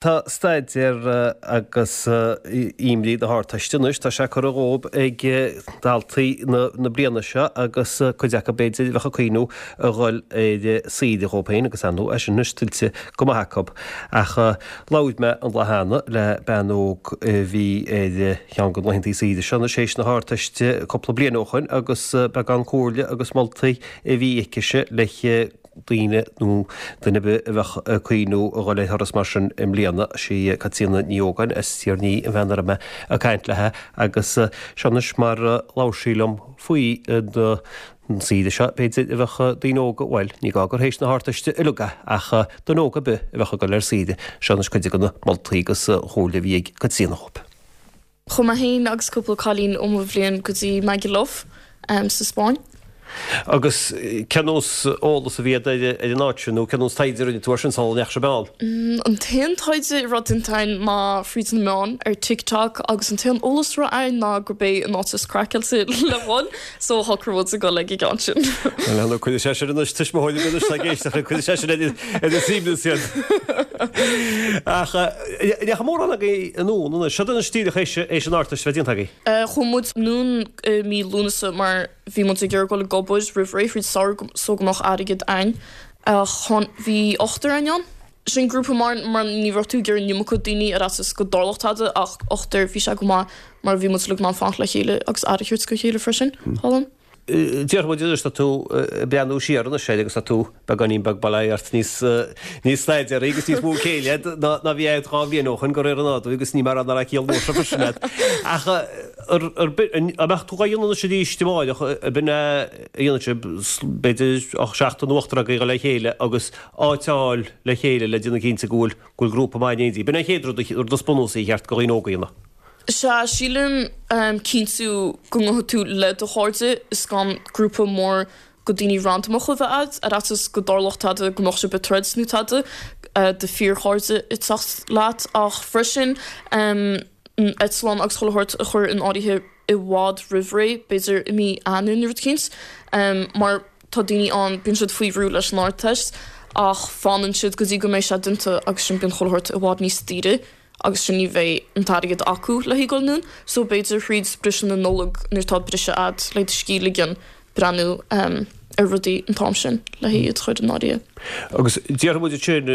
Tá staidéar agus imní na hArdteiste anois, tá sé curtha dhóibh ag daltaí na bliana seo agus cuid acu b'fhéidir a bheadh ag cuimhniú a dhul ar saoire dhóibh féin agus ar ndóigh é sin anois tuillte go maith acu. Ach labhair mé an lá cheana le bean óg a bhí ar cheann de na laethanta saoire seo anois théis na hArdteiste cúpla bliain ó shoin agus beagán comhairle agus moltaí a bhí aicise le daoine nó duine ar bith a bheadh ag cuimhniú a dhul ar thuras mar sin i mbliana. Sí Caitríona Ní Ógáin as Tír an Fhia an bhean a raibh mé ag caint léi agus seo anois mar a labhair sí liom faoi an saoire seo, b'fhéidir, a bheadh daoine óga, bhuel, ní gá gur théis na hArdteiste uilig é, ach duine óg ar bith a bheadh ag dul ar saoire. Seo anois cuid de na moltaí agus an chomhairle a bhí ag Caitríona dhóibh. Chuaigh mé féin agus cúpla cailín ó mo bhliain go dtí Magaluf sa Spáinn. Agus cén nós eolas a bhí agat ar an áit sin nó cén nós taighde a rinne tú air sin sula ndeachaigh sibh ann? An t-aon taighde a raibh déanta againn ná fríd na meáin ar TikTok agus an t-aon eolas a raibh againn ná gurb é an áit is craiceáilte le dhul so shocraigh muid a dhul ag an gceann sin. Bhuel, cuirfidh sé sin anois tuismitheoirí anois atá ag éisteacht linn, cuirfidh sé sin ar a suaimhneas iad. Ach ndeachaigh mórán agaibh anonn anois. Seo anois díreach théis an Ardteist a bheith déanta agaibh. Chuaigh muid anonn i mí Lúnasa mar bhí muid ag iarraidh dul ag obair roimh ré fríd samhradh so go mbeadh airgead againn. Ach bhí ochtar againn ann. Sin grúpa mar mar ní raibh tú ag iarraidh an iomarca daoine ar fhaitíos go dtarlódh tada ach ochtar bhí sé go maith mar bhí muid uilig in ann fanacht le chéile agus aire a thabhairt do chéile freisin. Thall ann. Déarfaidh muid anois, tá tú ag breathnú siar anois air agus tá tú beagáinín beag, bail ó Dhia ort, níos níos staidéaraí agus níos mó céille agat ná ná bhí agat 2 bhliain ó shoin de réir an nádúir agus ní mar nach raibh ciall mhór seo freisin agat. Ach ar ar bith, an mbeadh tú dhá dhéanamh anois arís amáireach, ab in é a dhéanfadh sibh, b'fhéidir seachtar nó ochtar agaibh a dhul le chéile agus áit a fháil le chéile le déanamh cinnte go bhfuil go bhfuil grúpa maith in éindí. B'in é an chéad rud, rud is bunúsaí a cheart do dhaoine óga a dhéanamh. Sea, sílim cinntiú go ngabhfaidh tú le do chairde is gan grúpa mór go daoine randamacha a bheith a'd, ar fhaitíos go dtarlódh tada, go mbeadh sibh ag troid nó tada, do fíorchairde ag teacht leat. Ach freisin an eitleán agus chuile shórt a chur in áirithe i bhfad roimh ré, b'fhéidir i mí Eanáir nó rud eicínt, mar tá daoine ann, bíonn siad faoi bhrú leis an Ardteist ach fanann siad go dtí go mbeidh sé déanta agus sin bíonn chuile shórt i bhfad níos daoire. agus sin ní bheidh an t-airgead acu le haghaidh dul anonn so b'fhéidir thríd briseadh na Nollag nuair atá briseadh a'd le do scíth a ligean breathnú ar rudaí an t-am sin le haghaidh iad a chur in áirithe. Agus déarfaidh muid ansin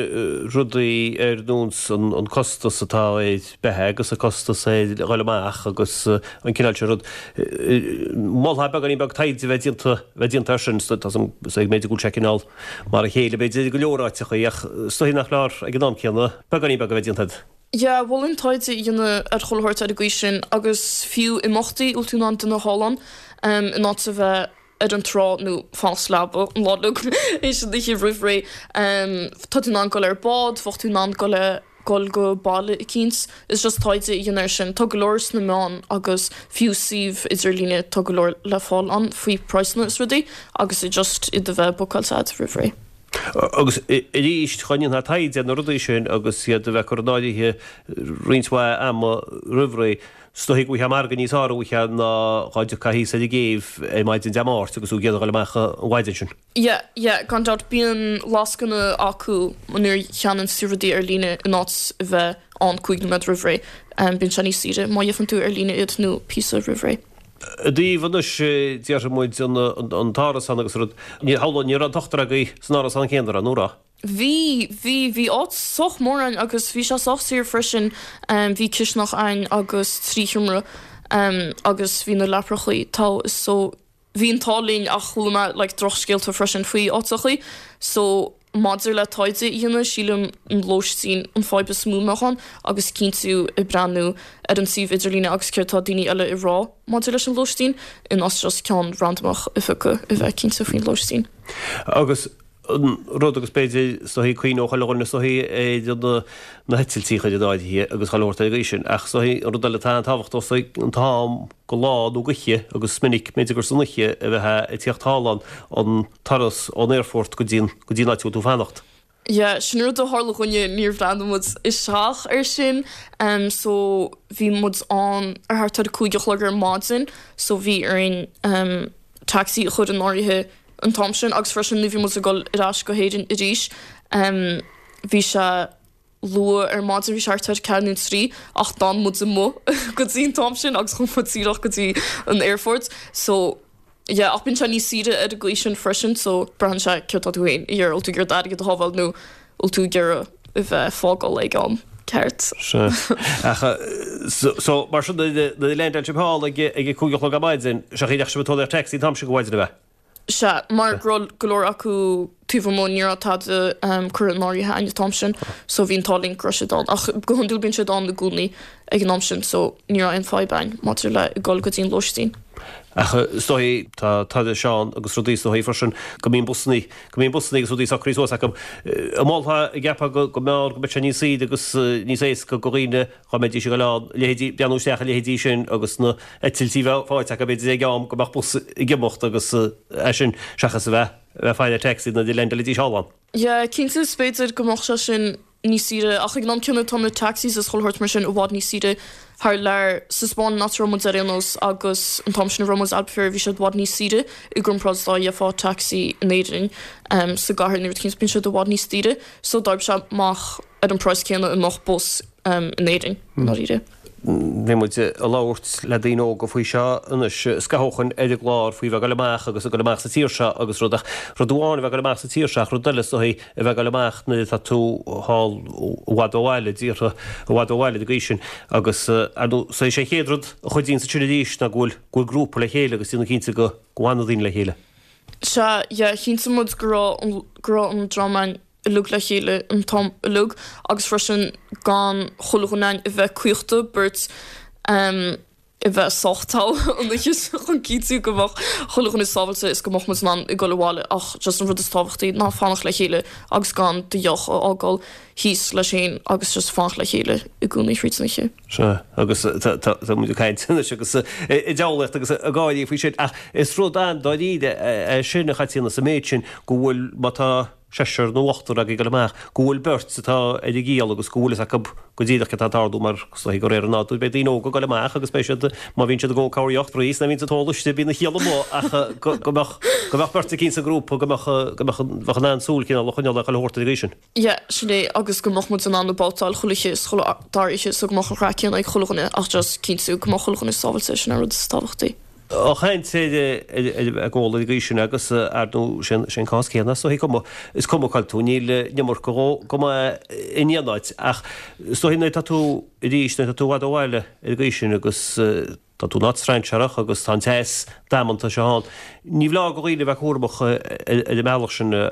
rudaí ar nós an costas atá ar beatha agus an costas ar dhul amach agus an cineál sin rud. Mholfá beagáinín beag taighde a bheith déanta bheith déanta air sin tá a fhios agam b'fhéidir go bhfuil sé cineál mar a chéile b'fhéidir i go leor áiteachaí ach is dóigh nach leor ag an am céanna beagáinín beag a bheith déanta agat. Yeah, mholfainn taighde a dhéanamh ar chuile shórt ar an gcaoi sin agus fiú imeachtaí a bhfuil tú in ann déanamh thall ann in áit a bheith ar an trá nó fanacht sa leaba an lá uilig théis an oíche roimh ré. Tá tú in ann dul ar bád, bheadh tú in ann dul le dul go baile eicínt. Is just taighde a dhéanamh air sin. Tá go leor sna meáin agus fiú suíomh idirlíne tá go leor le fáil ann faoi praghsanna is rudaí agus just iad a bheith bookáilte agat roimh ré. Agus arís, dá ndéanfá taighde ar na rudaí sin agus iad a bheith curtha in áirithe roinnt mhaith ama roimh ré, is dóichí go bhfaighfeá margadh níos fearr uaithe ná dhá dtiocfá thíos ar an gcéibh ar maidin Dé Máirt agus tú ag iarraidh a dhul amach an mhaidin sin. Yeah, yeah, gan dabht. Bíonn lascainí acu nuair a cheannaíonn tú rudaí ar líne in áit a bheith ann 5 nóiméad roimh ré. Bíonn sé níos saoire má gheibheann tú ar líne iad nó píosa roimh ré. I dtaobh anois, déarfaidh muid, an t-árasán agus rud, ní hamhlaidh, ní raibh an t-ochtar agaibh san árasán céanna, raibh, nó raibh? Bhí, bhí, bhí áit sách mór ann agus bhí sé sách saor freisin. Bhí cisteanach ann agus 3 sheomra agus bhí na leaprachaí togha so Bhí an t-ádh linn ach chuala mé like drochscéalta freisin faoi áiteachaí so maidir le taighde a dhéanamh sílim an lóistín an fadhb is mó a mbeadh ann agus cinntiú ag breathnú ar an suíomh idirlíne agus céard tá daoine eile ag rá maidir leis an lóistín in áit just ceann randamach a phiocadh a bheith cinnte faoin lóistín. Agus an rud agus b'fhéidir is dóichí cuimhneodh chuile dhuine is dóichí ar na heitiltí a chur in áirithe agus chuile shórt ar an gcaoi sin ach is dóichí an rud eile atá an-tábhachtach is dóichí an t-am go lá nó go oíche agus is minic b'fhéidir gur san oíche a bheifeá ag tíocht thall ann an turas ón aerfort go dtí an go dtí an áit a bhfuil tú ag fanacht. Yeah, sin rud a tharla dhúinne, níor bhreathnaigh muid isteach air sin so bhí muid ann ar thart ar a 5 a chlog ar maidin so bhí orainn taxi a chur in áirithe an t-am sin agus freisin nuair bhí muid ag dul ar ais go hÉirinn arís bhí sé. luath ar maidin, bhí sé thart ar 4 nó 3 ach d'fhan muid amuigh go dtí an t-am sin agus chuaigh muid díreach go dtí an aerfort so yeah ach bíonn sé níos saoire ar an gcaoi sin freisin so braitheann sé céard tá tú féin ag iarraidh, bhfuil tú ag iarraidh d'airgead a shábháil nó bhfuil tú ag iarraidh a bheith ag fágáil ag am ceart. Sea. Ach so mar sin nuair a leaindeáil sibh thall ag ag a 5 a chlog ar maidin, sé an chaoi a ndeachaigh sibh ag tógáil taxi an t-am sin de mhaidin ab ea? Sea, mar go raibh go leor acu taobh amuigh, ní raibh tada curtha in áirithe againn an t-am sin, so bhí an t-ádh linn go raibh siad ann. Ach go hiondúil bíonn siad ann i gcónaí ag an am sin, so ní raibh aon fadhb againn maidir le dul go dtí an lóistín. Ach is dóigh, tá turais ann agus rudaí is dóigh freisin go mbíonn busannaí, go mbíonn busannaí agus rudaí socraithe suas acu. An molfá, an gceapfá go, go mb'fhearr, go mbeadh sé níos saoire agus níos éasca do dhaoine Dá mbeidís ag dul ann, leithéidí, breathnú isteach ar leithéidí sin agus na heitiltí a bheith faighte acu, b'fhéidir ag am go mbeadh bus ag imeacht agus é sin seachas a bheith, a bheith ag faire taxi nuair a leaindeáilfidís thall ann. Yeah, cinnte is b'fhéidir go mbeadh sé sin níos saoire ach ag an am céanna tá na taxis is chuile shórt mar sin i bhfad níos saoire thar lear. Sa Spáinn an áit a raibh muid ar aon nós agus an t-am sin a raibh muid Albufeira bhí siad i bhfad níos saoire i gcomparáid dá gheofá taxi in Éirinn sa gcathair nó rud éicint bíonn siad i bhfad níos daoire so d'oibrigh sé amach ar an praghas céanna a mbeadh bus in Éirinn, i ndáiríre. Bhí muid ag labhairt le daoine óga faoi seo anois scaitheamh ó shoin ar an gclár faoi bheith ag dul amach agus ag dul amach sa tír seo agus rud ach rud amháin a bheith ag dul amach sa tír seo ach rud eile is dóichí a bheith ag dul amach nuair atá tú thall i bhfad ó bhaile, i dtíortha i bhfad ó bhaile ag an gcaoi sin agus ar ndóigh is é an chéad rud a chuidíonns ansin arís ná go bhfuil go bhfuil grúpa le chéile agus déanamh cinnte go go bhfanann daoine le chéile. Sea, yeah, chinntigh muid go raibh go raibh an dream againn uilig le chéile an t-am uilig agus freisin gan chuile dhuine againn a bheith caochta, beirt a bheith sách togha an oíche sin chun cinntiú go mbeadh chuile dhuine sábhailte is go mbeadh muid in ann ag dul abhaile ach just an rud is tábhachtaí ná fanacht le chéile agus gan do dheoch a fhágáil thíos leis féin agus just fanacht le chéile i gcónaí thríd an oíche. Sea, agus tá muid ag caint anois agus ag diabhlaíocht agus ag gáirí faoi sin ach is rud an-dáiríre é sin a Chaitríona sa méid sin go bhfuil má tá seisear nó ochtar agaibh ag dul amach, go bhfuil beirt atá ar a gciall agus go bhfuil fhios acu go díreach céard atá ag tarlú mar is dóichí de réir an nádúir beidh daoine óga ag dul amach agus beidh siad, má bhíonn siad ag ól cabhair spraoi is nuair a bhíonn siad ag ól istigh bíonn a chiall amuigh ach go mbeadh, go mbeadh beirt eicínt sa ngrúpa go mbeadh, go mbeadh, bheadh in ann súil cineál a choinneáil ar chuile shórt ar an gcaoi sin. Yeah, sin é agus go mbeadh muid in ann babhtáil chuile oíche is chuile dara oíche so go mbeadh an chraic céanna ag chuile dhuine ach just cinntiú go mbeadh chuile dhuine sábhailte, sin an rud is tábhachtaí. Ag caint ar ag ól ar an gcaoi sin agus ar ndóigh sé an cás céanna is dóichí cuma is cuma cá bhfuil tú níl an iomarca dhó go maith in aon áit ach is dóichí nuair atá tú arís nuair atá tú i bhfad ó bhaile ar an gcaoi sin agus tá tú in áit strainséarach agus tá an teas damanta seo ann ní foláir do dhaoine a bheith cúramach ar an mbealach sin i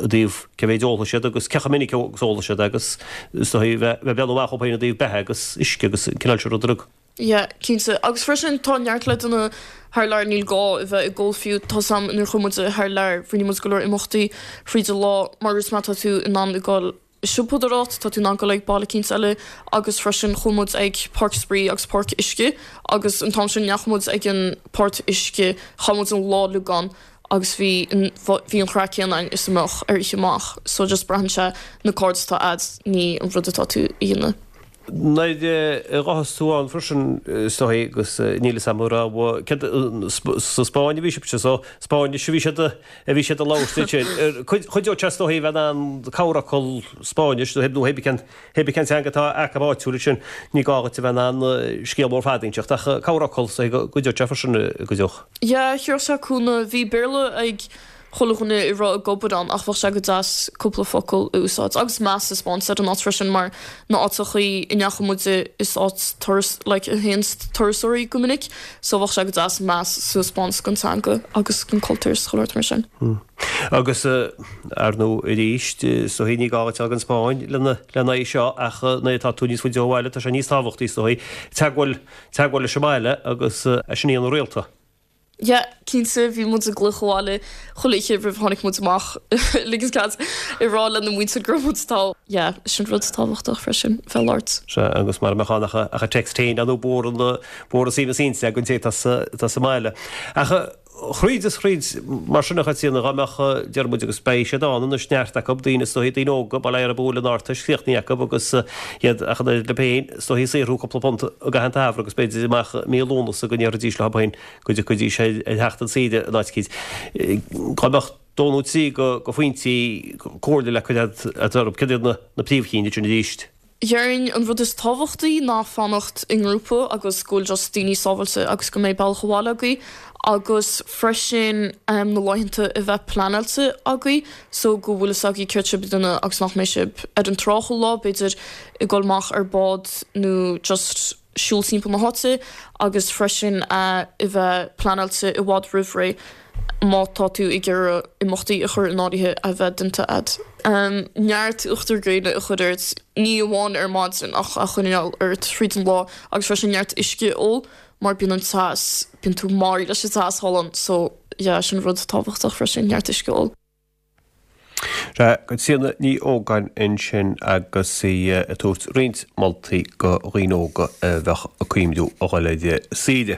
dtaobh cé mhéid a ólfaidh siad agus cé chomh minic agus a ólfaidh siad agus is dóichí bheith ag breathnú amach dhóibh féin i dtaobh beatha agus uisce agus an cineál sin rud. Yeah, cinnte. Agus freisin tá neart leideanna thar lear, níl gá a bheith ag ól fiú. Tá 's a'm nuair a chuaigh muid thar lear, rinne muid go leor imeachtaí fríd an lá mar is má tá tú in ann ag dul i siopadóireacht, tá tú in ann dul ag baile eicínt eile agus freisin chuaigh muid ag páirc spraoi agus páirc uisce agus an t-am sin ndeachaigh muid ag an páirc uisce, chaith muid an lá uilig ann agus bhí an bhí an chraic céanna againn is a mbeadh ar oíche amach. So just braitheann sé na cairde atá a'd, ní an rud atá tú a dhéanamh. Nuair a ghabhfas tú ann freisin, is dóigh, agus níl fhios a'm an raibh, céard, sa Spáinn a bhí sibhse, so Spáinnis a bhí siad, a bhí siad a labhairt ansin. Chuideodh sé is dóigh a bheith in ann corrfhocal Spáinnis nó nó hébí cén, hébí cén teanga atá acu áitiúil ansin, ní gá dhuit a bheith in ann scéal mór fada a inseacht ach corrfhocal is dóigh go gcuideodh sé freisin, gcuideodh. Yeah, chuirfeadh sé cúnamh. Bhí Béarla ag chuile dhuine a raibh ag obair ann ach bheadh sé go deas cúpla focal a úsáid agus meas a 'speáint ar an áit freisin mar na áiteachaí a ndeachaigh muide is áit turas like a théann turasóirí go minic so bheadh sé go deas meas a 'speáint don teanga agus don cultúr is chuile shórt mar sin. Agus ar ndóigh arís is dóigh ní gá duit a ghabháil go an Spáinn lena lena aghaidh seo ach nuair atá tú níos faide ó bhaile tá sé níos tábhachtaí is dóigh teagmháil teagmháil leis an mbaile agus é sin a dhéanamh rialta. Yeah, cinnte, bhí muid ag glaoch abhaile chuile oíche roimh a tháinig muid amach, ligint cead ag rá lena muintir go raibh muid thall. Yeah, sin rud tábhachtach freisin, bheith ag labhairt. Sea, agus mara mbeadh ann ach ach an text féin, ar ndóigh b'fhuar an b'fhuar an suaimhneas inti don té atá sa atá sa mbaile. Ach thríd is thríd, mar sin a Chaitríona, dá mbeadh, deir muid, agus beidh siad ann anois, neart acu, daoine is dóichí, daoine óga, bail ó Dhia orthu a bhfuil an Ardteist críochnaithe acu agus iad ach an oiread leo féin, is dóichí ag saothrú cúpla punt i gcaitheamh an tsamhraidh agus b'fhéidir amach mí Lúnasa go ndéarfaidís leo féin go dtiocfaidís ar theacht chun saoire in áit eicínt. Dá mbeadh. Dó nó 3 de phointí comhairle le cur agat orthu. Céard iad na príomhchinn ansin arís? Déarfainn an rud is tábhachtaí ná fanacht i ngrúpa agus go bhfuil just daoine sábháilte agus go mbeidh bealach abhaile agaibh agus freisin na laethanta a bheith pleanáilte agaibh so go bhfuil fhios agaibh céard sibh ag déanamh agus nach mbeidh sibh ar an trá chuile lá, b'fhéidir ag dul amach ar bád nó just siúl timpeall na háite agus freisin a bheith pleanáilte i bhfad roimh ré má tá tú ag iarraidh imeachtaí a chur in áirithe a bheith déanta a'd. Neart uachtar gréine a chur ort, ní amháin ar maidin ach a choinneáil ort thríd an lá agus freisin neart uisce a ól mar bíonn an teas, bíonn tú maraithe leis an teas thall ann so yeah sin rud tábhachtach freisin, neart uisce a ól. Sea, Caitríona Ní Ógáin ansin agus í ag tabhairt roinnt moltaí do dhaoine óga a bheadh ag cuimhniú a dhul ar saoire.